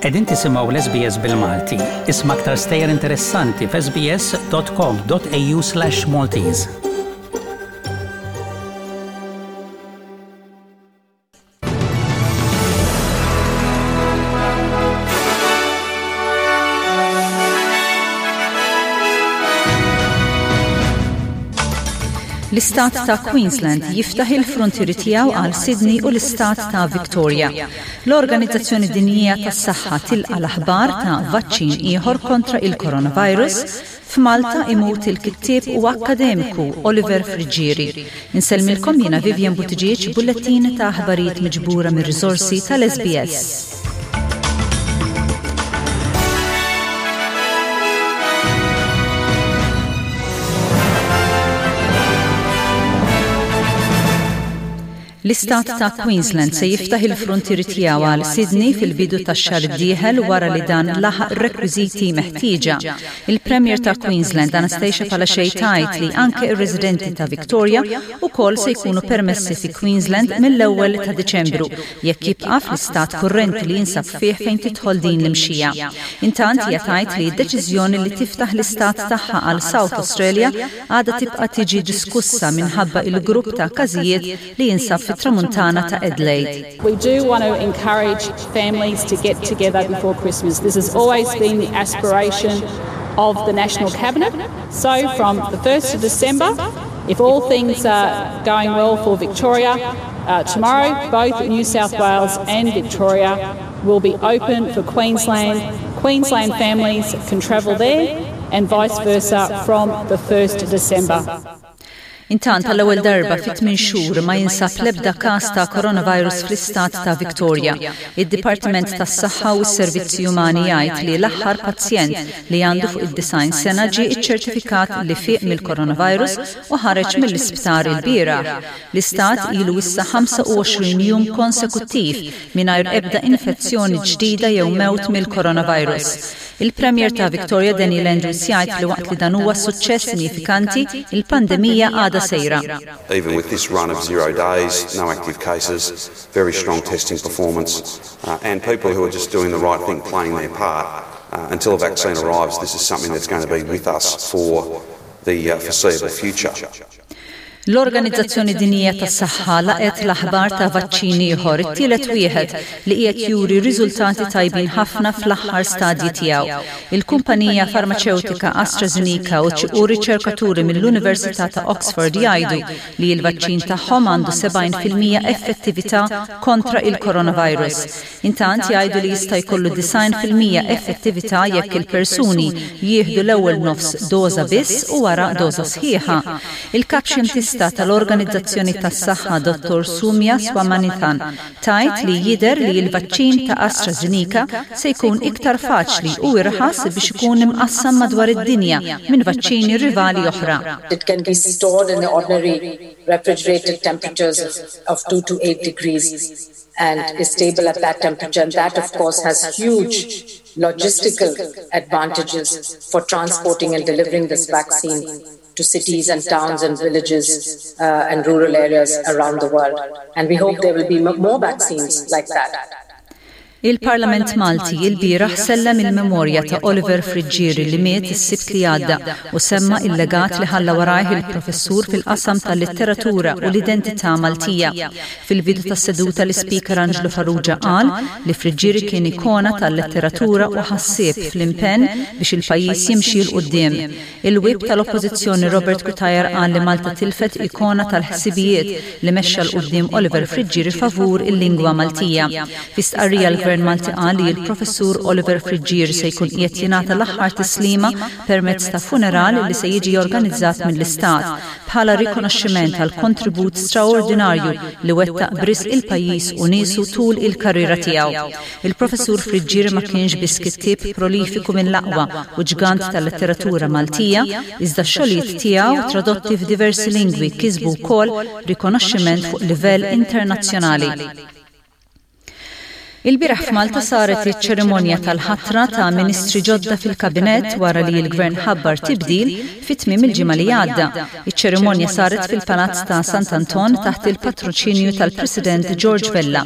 Qegħdin tisimgħu l-SBS bil-Malti. Isma' aktar stejjer interessanti f'sbs.com.au/Maltese. L-istat ta' Queensland jiftaħ il-frontieri tiegħu għal Sydney u l-istat ta' Victoria. L-Organizzazzjoni Dinjija tas-Saħħa tilqa' l-aħbar ta' vaċċin ieħor kontra il-coronavirus. F'Malta imut il-kittieb u akkademiku Oliver Friggieri. Insellmilkom jiena Vivian Buttigieg b'bullettin ta' aħbarijiet miġbura mir-riżorsi tal-SBS. L-Istat ta' Queensland se jiftaħ il-fruntieri tiegħu għal Sydney fil-bidu tax-xahar id-dieħel wara li dan laħaq ir-rekwiżiti meħtieġa. Il-Premier ta' Queensland Anastasia Palaszczuk tgħid li anke r-residenti ta' Victoria wkoll se jkunu permessi fi Queensland mill-ewwel ta' Diċembru jekk jibqa' fl-istat kurrenti li jinsab fih fejn tidħol din l-imxija. Intant hija tgħid li d-deċiżjoni li tiftaħ l-istat tagħha għal South Australia għadha tibqa' tiġi diskussa minħabba il-grupp ta' każijiet li jinsab fit-Tramuntana ta' Adelaide. We do want to encourage families to get together before Christmas. This has always been the aspiration of the National Cabinet. So from the 1st of December, if all things are going well for Victoria, uh, tomorrow both New South Wales and Victoria will be open for Queensland. Queensland families can travel there and vice versa from the 1st of December. Intant għall-ewwel darba fi tmien xhur ma jinsab l-ebda każ ta' coronavirus fl-istat ta' Victoria. Id-Dipartiment tas-Saħħa u s-Servizzi Umani jgħid li l-aħħar pazjent li għandu fuq id-90 sena ġie ċċertifikat li fieq mill-coronavirus u ħareġ mill-isptar ilbieraħ. L-istat ilu issa 25 jum konsekuttiv mingħajr ebda infezzjoni ġdida jew mewt mill-coronavirus. Il-Premier ta' Victoria Daniel Andrews jgħid li waqt li dan huwa suċċess sinifikanti, il-pandemija għadha sejra. Even with this run of zero days, no active cases, very strong testing performance, uh, and people who are just doing the right thing, playing their part, uh, until a vaccine arrives, this is something that's going to be with us for the uh, foreseeable future. L-Organizzazzjoni Dinjija tas-Saħħa laqgħet l-aħbar ta' vaċċin ieħor, it-tielet wieħed, li qiegħed juri riżultati tajbin ħafna fl-aħħar stadji tiegħu. Il-kumpanija farmaċewtika AstraZeneca u riċerkaturi mill-Università ta' Oxford jgħidu li l-vaċċin tagħhom għandu 70% effettività kontra il-coronavirus. Intant jgħidu li jista' jkollu 90% effettività jekk il-persuni jieħdu l-ewwel nofs doża biss u wara doża sħiħa. Il-Kap Xjentista tal-Organizzazzjoni tas-Saħħa Dottor Soumya Swaminathan tgħid li jidher li l-vaċċin ta' AstraZeneca se jkun iktar faċli u irħas biex ikun imqassam madwar id-dinja minn vaċċini rivali oħra. It can be stored in the ordinary refrigerated temperatures of 2 to 8 degrees and is stable at that temperature. And that, of course, has huge logistical advantages for transporting and delivering this vaccine to cities and towns and villages uh, and rural areas around the world. And we hope there will be more vaccines like that. Il-Parlament Malti ilbieraħ sellem il-memorja ta' Oliver Friggieri li miet is-Sibt li għadda u semma il-legat li ħalla warajh il-professur fil-qasam tal-litteratura u l-identità Maltija. Fil-bidu tas-seduta l-Ispeaker Anġlu Farrugia qal li Friggieri kien ikona tal-letteratura u ħassieb fl-impenn biex il-pajjiż jimxi 'l quddiem. Il-Whip tal-Oppożizzjoni Robert Cutajar qal li Malta tilfet ikona tal-ħsibijiet li mexxa 'l quddiem Oliver Friggieri favur il-lingwa Maltija. Fi stqarrija l-Gvern Malti qal li l-Professur Oliver Friggieri se jkun qiegħed jingħata l-aħħar tislima permezz ta' funeral li se jiġi organizzat mill-Istat bħala rikonoxximent għall-kontribut straordinarju li wettaq b'risq il-pajjiż u niesu tul il-karriera tiegħu. Il-Professur Friggieri ma kienx biss kittieb prolifiku mill-aqwa u ġgant tal-letteratura Maltija, iżda x-xogħlijiet tiegħu tradotti f'diversi lingwi kisbu wkoll rikonoxximent fuq livell internazzjonali. Ilbieraħ f'Malta saret iċ-ċerimonja tal-ħatra ta' ministri ġodda fil-Kabinett wara li l-Gvern ħabbar tibdil fi tmiem il-ġimgħa li għadda. Iċ-ċerimonja saret fil-Palazz ta' Sant'Anton taħt il-patroċinju tal-President George Vella.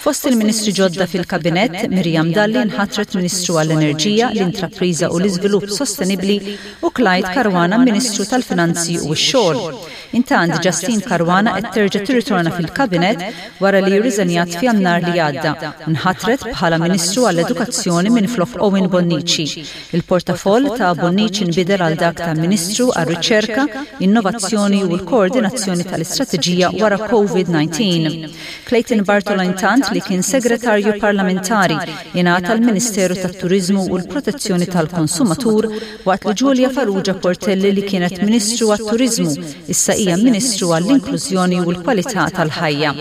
Fost il-ministri ġodda fil-Kabinett, Miriam Dalli nħatret Ministru għall-Enerġija, l-Intrapriża u l-Iżvilupp Sostenibbli u Clyde Caruana Ministru tal-Finanzi u x-Xogħol. Intant, Justyne Caruana qed terġa' tirritorna fil-Kabinett wara li rriżenjat f'Jannar li għadda u nħatret bħala Ministru għall-Edukazzjoni minflok Owen Bonnici. Il-portafoll ta' Bonnici nbidel għal dak ta' Ministru għar-Riċerka, Innovazzjoni u l-Koordinazzjoni tal-Istrateġija wara Covid 19. Clayton Bartolo intant li kien Segretarju Parlamentari ingħata l-Ministeru tat-Turiżmu u l-Protezzjoni tal-Konsumatur waqt li Julia Farrugia Portelli li kienet Ministru għat-Turiżmu issa hija Ministru għall-Inklużjoni u l-Kwalità tal-Ħajja.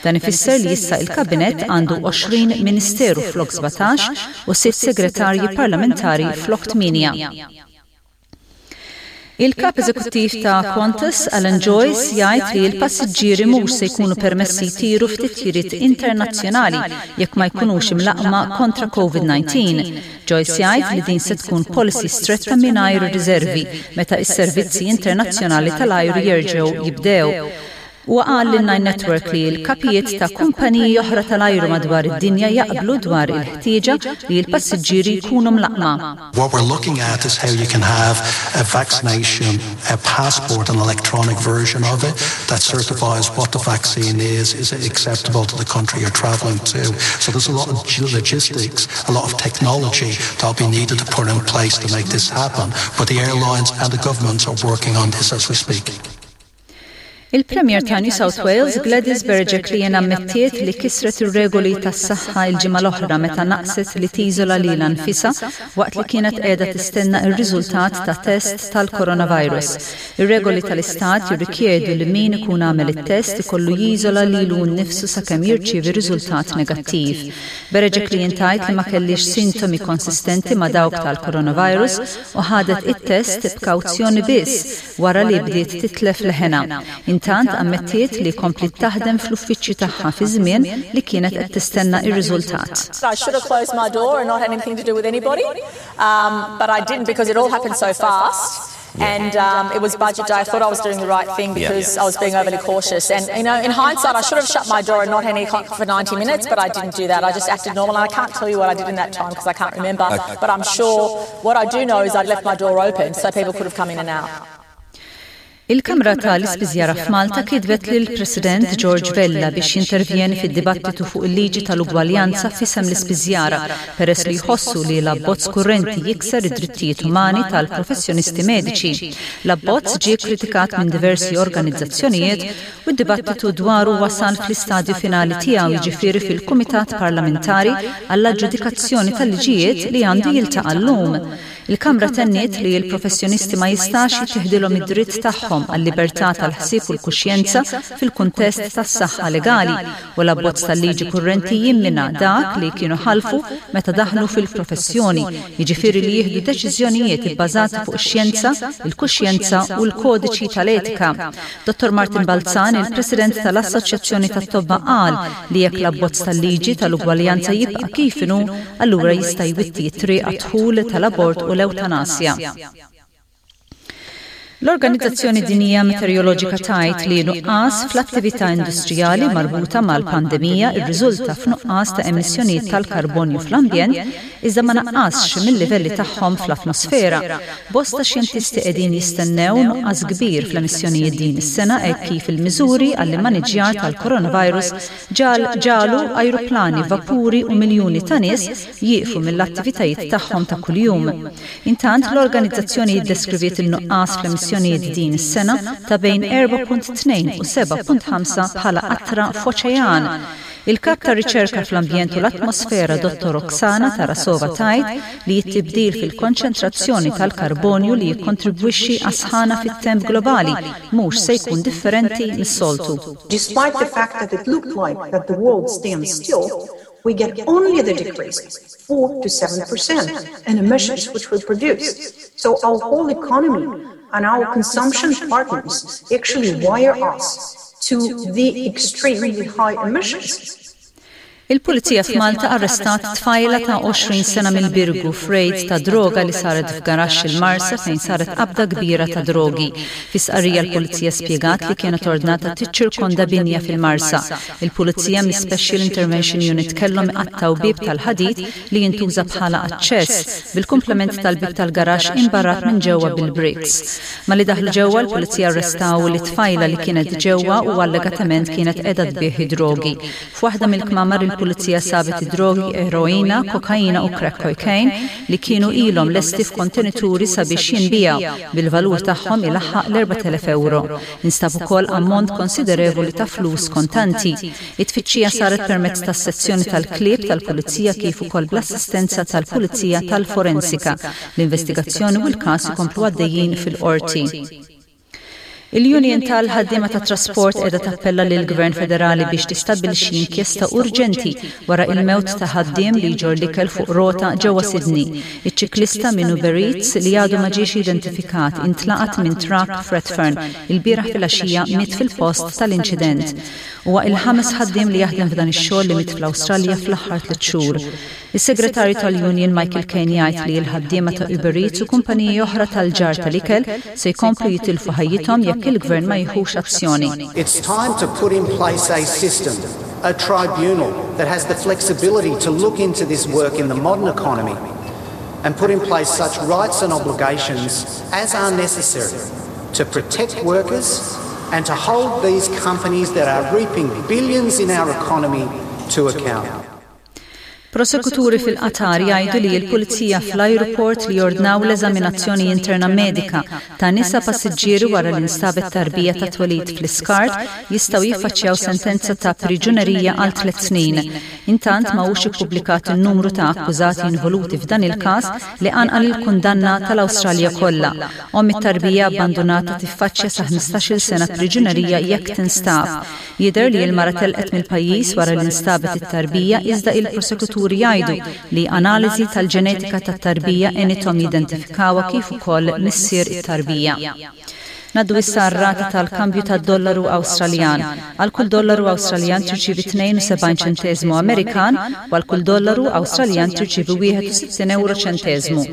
Dan ifisser li issa il-Kabinett għandu 20 Ministeru flok 17 u sitt Segretarji Parlamentari flok tmienja. Il-Kap Eżekuttiv ta' Qantas, Alan Joyce, jgħid li l-passiġġieri mhux se jkunu permessi jtiru f'titjiriet internazzjonali jekk ma jkunux imlaqqma kontra Covid-19. Joyce jgħid li din se tkun policy stretta mingħajr riservi meta s-servizzi internazzjonali tal-ajru jerġgħu jibdew. Huwa qal lil Nine Network li l-kapijiet ta' kumpaniji oħra tal-ajru madwar id-dinja jaqblu dwar il-ħtieġa li l-passiġġieri jkunu mlaqqma. What we're looking at is how you can have a vaccination a passport, an electronic version of it that certifies what the vaccine is, is it acceptable to the country you're traveling to. So there's a lot of logistics, a lot of technology that'll be needed to put in place to make this happen. But the airlines and the governments are working on this as we speak. Il-Premier ta' New South Wales, Gladys Berejiklian ammettiet li kisret ir-regoli tas-saħħa l-ġimgħa l-oħra meta naqset li tiżola lilha nfisha waqt li kienet qiegħda tistenna r-riżultat ta' test tal-coronavirus. Ir-regoli tal-istat jirrikjedu li min ikun għamel it-test ikollu jiżola lilu nnifsu sakemm jirċievi riżultat negattiv. Berejiklian tgħid li ma kellhiex sintomi konsistenti ma' dawk tal-coronavirus u ħadet it-test b'kawzjoni biss wara li bdiet titlef leħenha. Intant ammettiet li kompliet taħdem fl-uffiċċju tagħha fi żmien li kienet qed tistenna r-riżultat. I should have closed my door and not had anything to do with anybody, um, but I didn't because it all happened so fast. And um, it was budget day. I thought I was doing the right thing because yeah. I was being overly cautious. And, you know, in hindsight, I should have shut my door and not had any contact for 90 minutes, but I didn't do that. I just acted normal. And I can't tell you what I did in that time because I can't remember. Okay. But I'm sure what I do know is I'd left my door open so people could have come in and out. Il-Kamra ta' l-Ispiżjara f'Malta kitbet lill-President George Vella biex jintervjeni fid-dibattitu fuq il-liġi tal-ugwaljanza f'isem l-ispiżjara peress li jħossu li l-abbozz kurrenti jikser id-drittijiet umani tal-professjonisti mediċi. L-abbozz ġie kkritikat minn diversi organizzazzjonijiet u d-dibattitu dwaru wasal fl-istadju finali tiegħu jiġifieri fil-Kumitat Parlamentari għall-Aġġudikazzjoni tal-Liġijiet li għandu jiltaqa' llum. Il-Kamra tenniet li l-professjonisti ma jistax jittiħdilhom id-dritt tagħhom għal-libertà tal-ħsieb u l-kuxjenza fil-kuntest tas-saħħa legali u l-abbozz tal-liġi kurrenti jimmina dak li kienu ħalfu meta daħlu fil-professjoni, jiġifieri li jieħdu deċiżjonijiet ibbażati fuq ix-xjenza, il-kuxjenza u l-kodiċi tal-etika. Dottor Martin Balzan, il-President tal-Assoċjazzjoni tat-Tobba qal li jekk l-abbozz tal-liġi tal-ugwaljanza jibqa' kif inhu, allura jista' jwitti t-triq għad-dħul tal-abort u l-ewtanasja. L-Organizzazzjoni Dinjija Meteoroloġika tgħid li nuqqas fl-attività industrijali marbuta mal-pandemija rriżulta f'nuqqas ta' emissjonijiet tal-karbonju fl-ambjent iżda ma naqqasx mil-livelli tagħhom fl-atmosfera. Bosta xjentisti qegħdin jistennew nuqqas kbir fl-emissjonijiet din is-sena hekk kif il-miżuri għall-immaniġġjar tal-coronavirus ġagħlu ajruplani, vapuri u miljuni ta' nies jieqfu mill-attivitajiet tagħhom ta' kuljum. Intant, l-organizzazzjoni iddeskriviet in-nuqqas fl-emissjonijiet din is-sena ta' bejn 4.2 u 7.5 bħala qatra f'oċean. Il-Kap tar-Riċerka fl-Ambjent u l-Atmosfera Dottor Oksana Tarasova tgħid li t-tibdil fil-konċentrazzjoni tal-karbonju li jikkontribwixxi għas-sħana fit-temp globali mhux se jkun differenti mis-soltu. Despite the fact that it looked like that the world stands still, we get only the decrease, 4 to 7% in emissions which we produce. So our whole economy and our consumption partners actually wire us to the extremely high emissions. Il-Pulizija f'Malta arrestat tfajla ta' 20 sena mill-Birgu f'rejd ta' droga li saret f'garaxx il-Marsa fejn saret qabda kbira ta' drogi. Fi stqarrija l-Pulizija spjegat li kienet ordnata tiċċirkonda binja fil-Marsa. Il-Pulizija mis-Special Intervention Unit kellhom iqattgħu bieb tal-ħadid li jintuża bħala aċċess, bil-kumplament tal-bieb tal-garaxx imbarrat minn ġewwa bil-bricks. Malli daħlu ġewwa l-Pulizija arrestaw lit-tfajla li kienet ġewwa u allegatament kienet qiegħda tbigħ id-drogi. F'waħda mill-kmamar il-Pulizija sabet id-drogi eroina, kokaina u crack cocaine li kienu ilhom lesti f'kontenituri sabiex jinbiegħu, bil-valur tagħhom ilaħħaq l-4,000 ewro. Instab ukoll ammont konsiderevoli ta' flus kontanti. It-tfittxija saret permezz tas-sezzjoni tal-klieb tal-Pulizija kif ukoll bl-assistenza tal-Pulizija tal-Forensika. L-investigazzjoni u l-każ ikomplu għaddejjin fil-Qorti. Il-Union tal-Ħaddiema tat-Trasport qiegħda tappella lill-Gvern Federali biex tistabbilixxi inkjesta urġenti wara il-mewt ta' ħaddiem li jġorr l-ikel fuq rota ġewwa Sydney. Iċ-ċiklista minn Uber Eats li għadu ma ġiex identifikat intlaqat minn trakk f'Redfern ilbieraħ filgħaxija miet fil-post tal-inċident. Huwa il-ħames ħaddiem li jaħdem f'dan ix-xogħol li miet fl-Awstralja fl-aħħar tliet xhur. Is-Segretarju tal-Union Michael Kaine jgħid li l-ħaddiema ta' Uber Eats u kumpaniji oħra tal-ġarr tal-ikel se jkomplu jitilfu ħajjithom jekk il-Gvern ma jieħux azzjoni. It's time to put in place a system, a tribunal that has the flexibility to look into this work in the modern economy and put in place such rights and obligations as are necessary to protect workers and to hold these companies that are reaping billions in our economy to account. Prosekuturi fil-Qatar jgħidu li l-pulizija fl-ajruport li ordnaw l-eżaminazzjoni interna medika ta' nisa passiġġieri wara li nstabet tarbija ta' twelid fl-iskart jistgħu jiffaċċjaw sentenza ta' priġunerija għal tliet snin. Intant ma hux ippubblikat in-numru ta' akkużati involuti f'dan il-każ li qanqal il-kundanna tal-Awstralja kollha. Omm it-tarbija abbandunata tiffaċċja sa 15-il sena priġunerija jekk tinstab. Jidher li l-mara telqet mill-pajjiż wara li nstabet it-tarbija iżda il-prosekuturi jgħidu li analiżi tal-ġenetika tat-tarbija għenithom jidentifikawha kif ukoll missier it-tarbija. Ngħaddu issa għar-rata tal-kambju tad-dollaru Awstraljan. Għal kull dollaru Awstraljan tirċievi 72 ċenteżmu Amerikan u għal kull dollaru Awstraljan tirċievi 61 ewro ċenteżmu.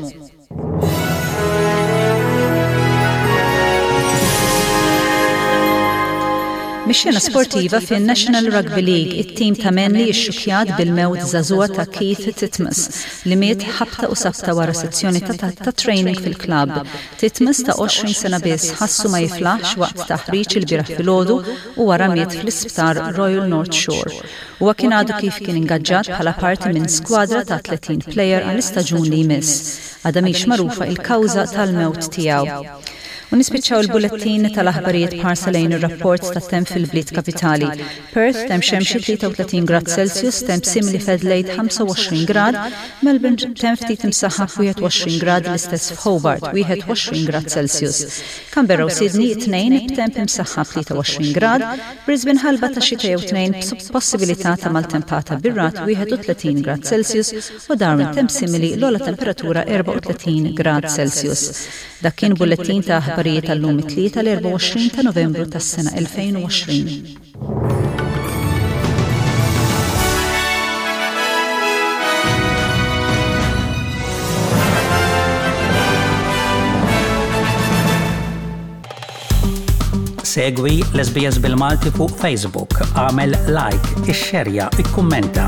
Mix-xena sportiva fin-National Rugby League, it-tim ta' Manly ixxukkjat bil-mewt żagħżugħa ta' Keith Titmus, li miet ħabta u sabta wara sezzjoni ta' ta' training fil-klabb. Titmus ta' 20 sena biss ħassu ma jiflaħx waqt taħriġ ilbieraħ filgħodu u wara miet fl-isptar Royal North Shore. Huwa kien għadu kif kien ingaġġat bħala parti minn skwadra ta' 30 plejer għall-istaġun li jmiss. Għadha mhix magħrufa il-kawża tal-mewt tiegħu. U nispiċċaw il-bulettin tal-aħbarijiet b'ħarsa lejn ir-rapport tat-temp fil-bliet kapitali. Perth, temp xemxi 33 grad Celsius, temp simili f'Adelaide 25 grad, Melbourne temp ftit imsaħħab 21 grad l-istess f'Hobart 21 grad Celsius. Canberra u Sydney it-tnejn b'temp imsaħħab 23 grad, Brisbane ħalba ta' xita jew tnejn b'possibilità ta' maltempata bir-ragħad 31 grad Celsius u Darwin temp simili l-ogħla temperatura 34 grad Celsius. Dak kien bullettin ta' aħbarijiet għal-lum it-Tlieta l-24 ta' Novembru tas-sena 2020. Segwi l-SBS bil-Malti fuq Facebook, għamel like, ixxerja, ikkummenta.